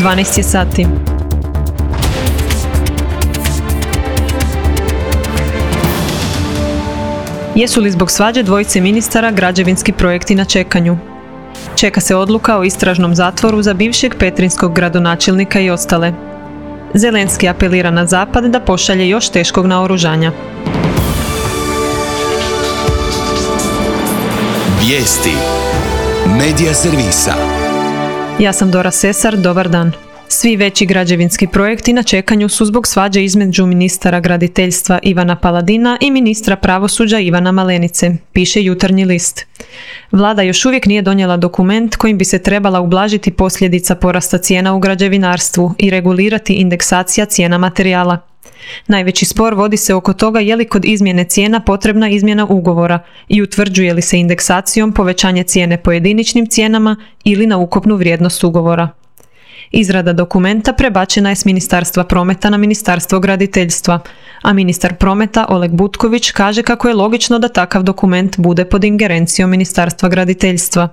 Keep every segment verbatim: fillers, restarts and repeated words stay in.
dvanaest je sati. Jesu li zbog svađe dvojice ministara građevinski projekti na čekanju? Čeka se odluka o istražnom zatvoru za bivšeg petrinskog gradonačelnika i ostale. Zelenski apelira na Zapad da pošalje još teškog naoružanja. Vijesti Medija servisa. Ja sam Dora Sesar, dobar dan. Svi veći građevinski projekti na čekanju su zbog svađe između ministara graditeljstva Ivana Paladina i ministra pravosuđa Ivana Malenice, piše Jutarnji list. Vlada još uvijek nije donijela dokument kojim bi se trebala ublažiti posljedica porasta cijena u građevinarstvu i regulirati indeksacija cijena materijala. Najveći spor vodi se oko toga je li kod izmjene cijena potrebna izmjena ugovora i utvrđuje li se indeksacijom povećanje cijene po jediničnim cijenama ili na ukupnu vrijednost ugovora. Izrada dokumenta prebačena je s Ministarstva prometa na Ministarstvo graditeljstva, a ministar prometa Oleg Butković kaže kako je logično da takav dokument bude pod ingerencijom Ministarstva graditeljstva.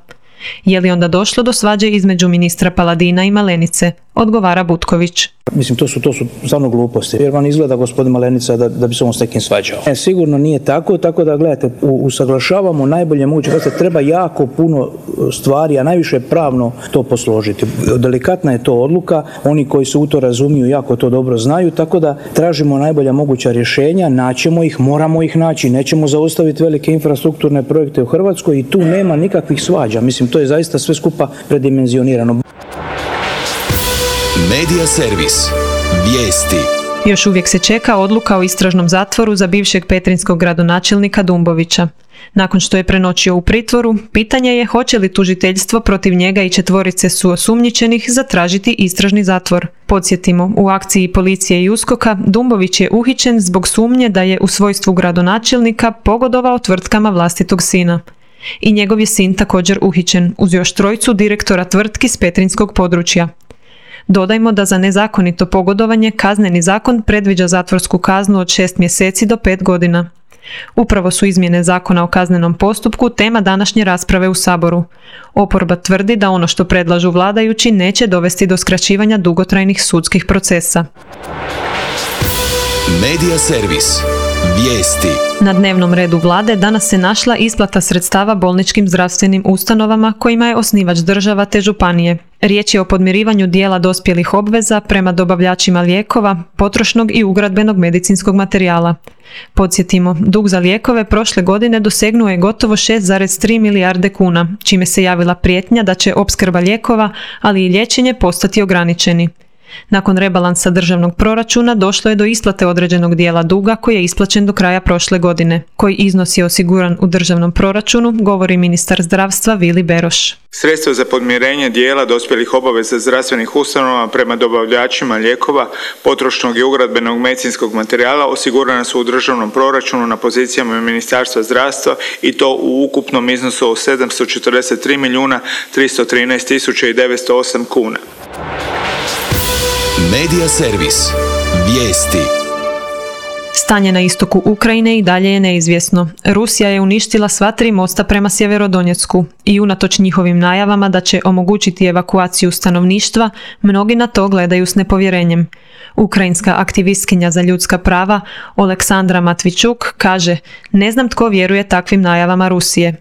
Je li onda došlo do svađe između ministra Paladina i Malenice? Odgovara Butković. Mislim, to su, to su stvarno gluposti. Jer vam izgleda gospodin Malenica da, da bi se on s nekim svađao. E, sigurno nije tako, tako da gledajte, usaglašavamo najbolje moguće. Treba jako puno stvari, a najviše pravno to posložiti. Delikatna je to odluka, oni koji se u to razumiju jako to dobro znaju, tako da tražimo najbolja moguća rješenja, naćemo ih, moramo ih naći, nećemo zaustaviti velike infrastrukturne projekte u Hrvatskoj i tu nema nikakvih svađa. Mislim, to je zaista sve skupa predimenzionirano. Medija servis. Vijesti. Još uvijek se čeka odluka o istražnom zatvoru za bivšeg petrinskog gradonačelnika Dumbovića. Nakon što je prenoćio u pritvoru, pitanje je hoće li tužiteljstvo protiv njega i četvorice suosumnjičenih zatražiti istražni zatvor. Podsjetimo, u akciji policije i USKOK-a Dumbović je uhićen zbog sumnje da je u svojstvu gradonačelnika pogodovao tvrtkama vlastitog sina. I njegov je sin također uhićen, uz još trojicu direktora tvrtki s petrinskog područja. Dodajmo da za nezakonito pogodovanje kazneni zakon predviđa zatvorsku kaznu od šest mjeseci do pet godina. Upravo su izmjene zakona o kaznenom postupku tema današnje rasprave u Saboru. Oporba tvrdi da ono što predlažu vladajući neće dovesti do skraćivanja dugotrajnih sudskih procesa. Medija servis. Vijesti. Na dnevnom redu vlade danas se našla isplata sredstava bolničkim zdravstvenim ustanovama kojima je osnivač država te županije. Riječ je o podmirivanju dijela dospjelih obveza prema dobavljačima lijekova, potrošnog i ugradbenog medicinskog materijala. Podsjetimo, dug za lijekove prošle godine dosegnuo je gotovo šest zarez tri milijarde kuna, čime se javila prijetnja da će opskrba lijekova, ali i liječenje postati ograničeni. Nakon rebalansa državnog proračuna došlo je do isplate određenog dijela duga koji je isplaćen do kraja prošle godine. Koji iznos je osiguran u državnom proračunu, govori ministar zdravstva Vili Beroš. Sredstva za podmirenje dijela dospjelih obaveza zdravstvenih ustanova prema dobavljačima lijekova, potrošnog i ugradbenog medicinskog materijala osigurana su u državnom proračunu na pozicijama Ministarstva zdravstva i to u ukupnom iznosu od sedamsto četrdeset tri milijuna tristo trinaest tisuća devetsto osam kuna. Medija servis. Vijesti. Stanje na istoku Ukrajine i dalje je neizvjesno. Rusija je uništila sva tri mosta prema Sjeverodonjecku i unatoč njihovim najavama da će omogućiti evakuaciju stanovništva, mnogi na to gledaju s nepovjerenjem. Ukrajinska aktivistkinja za ljudska prava Oleksandra Matvičuk kaže: "Ne znam tko vjeruje takvim najavama Rusije."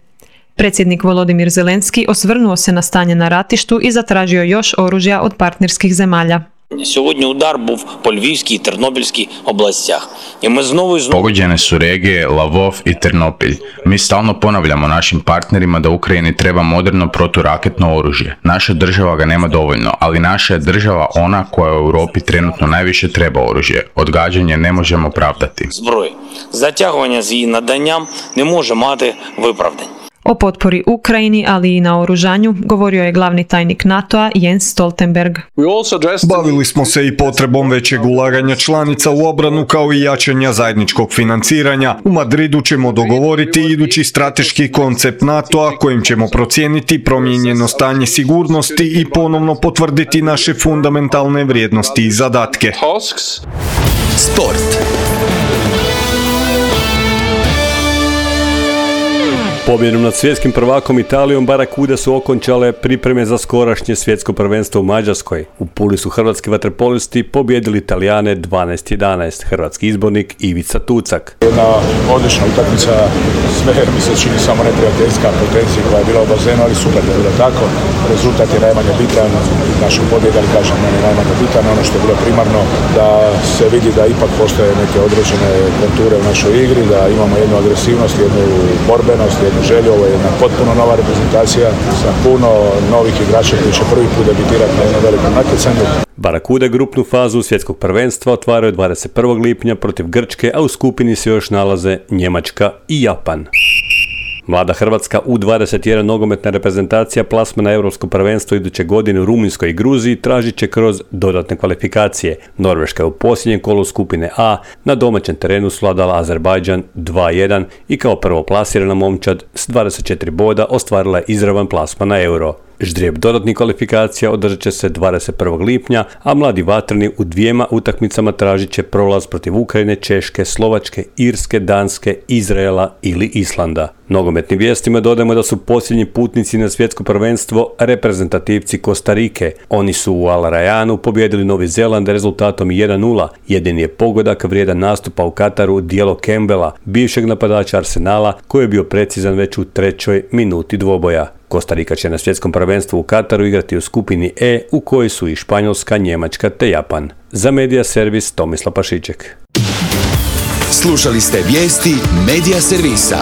Predsjednik Volodimir Zelenski osvrnuo se na stanje na ratištu i zatražio još oružja od partnerskih zemalja. Сьогодні удар був по Львівській і Тернопільській областях. І ми знову і знову... Pogođene su regije Lavov i Ternopilj. Mi stalno ponavljamo našim partnerima da Ukrajini treba moderno proturaketno oružje. Naša država ga nema dovoljno, ali naša je država ona koja u Europi trenutno najviše treba oružje. Odgađanje ne možemo pravdati. Зброї. Затягування з її наданням не може мати виправдань. O potpori Ukrajini, ali i na oružanju, govorio je glavni tajnik NATO-a Jens Stoltenberg. Bavili smo se i potrebom većeg ulaganja članica u obranu kao i jačanja zajedničkog financiranja. U Madridu ćemo dogovoriti idući strateški koncept NATO-a kojim ćemo procijeniti promijenjeno stanje sigurnosti i ponovno potvrditi naše fundamentalne vrijednosti i zadatke. Sport. Pobjedom nad svjetskim prvakom Italijom Barakude su okončale pripreme za skorašnje svjetsko prvenstvo u Mađarskoj. U Puli su hrvatski vaterpolisti pobjedili Italijane dvanaest jedanaest, hrvatski izbornik Ivica Tucak. Jedna odlična utakmica, sve mi se čini samo neprijateljska potencija koja je bila u bazenu, ali super da je bilo tako. Rezultat je najmanje bitan, naša pobjeda, ali kažem, meni je najmanje bitan. Ono što je bilo primarno da se vidi da ipak postoje neke određene konture u našoj igri, da imamo jednu agresivnost, jednu borbenost, jednu želju. Ovo je jedna potpuno nova reprezentacija sa puno novih igrača koji će prvi put debitirati na jednom velikom natjecanju. Barakude grupnu fazu svjetskog prvenstva otvaraju dvadeset prvog lipnja protiv Grčke, a u skupini se još nalaze Njemačka i Japan. Mlada Hrvatska U dvadeset jedan nogometna reprezentacija plasma na Europsko prvenstvo iduće godine u Rumunjskoj i Gruziji tražit će kroz dodatne kvalifikacije. Norveška je u posljednjem kolu skupine A na domaćem terenu svladala Azerbajdžan dva jedan i kao prvo plasirana momčad s dvadeset četiri boda ostvarila je izravan plasman na Euro. Ždrijeb dodatnih kvalifikacija održat će se dvadeset prvog lipnja, a mladi vatreni u dvijema utakmicama tražit će prolaz protiv Ukrajine, Češke, Slovačke, Irske, Danske, Izraela ili Islanda. Nogometnim vijestima dodajemo da su posljednji putnici na svjetsko prvenstvo reprezentativci Kostarike. Oni su u Al Rayanu pobjedili Novi Zeland rezultatom jedan nula. Jedini je pogodak vrijedan nastupa u Kataru dijelo Campbella, bivšeg napadača Arsenala, koji je bio precizan već u trećoj minuti dvoboja. Kostarika će na svjetskom prvenstvu u Kataru igrati u skupini E u kojoj su i Španjolska, Njemačka te Japan. Za Medija Servis Tomislav Pašiček. Slušali ste vijesti Medija Servisa.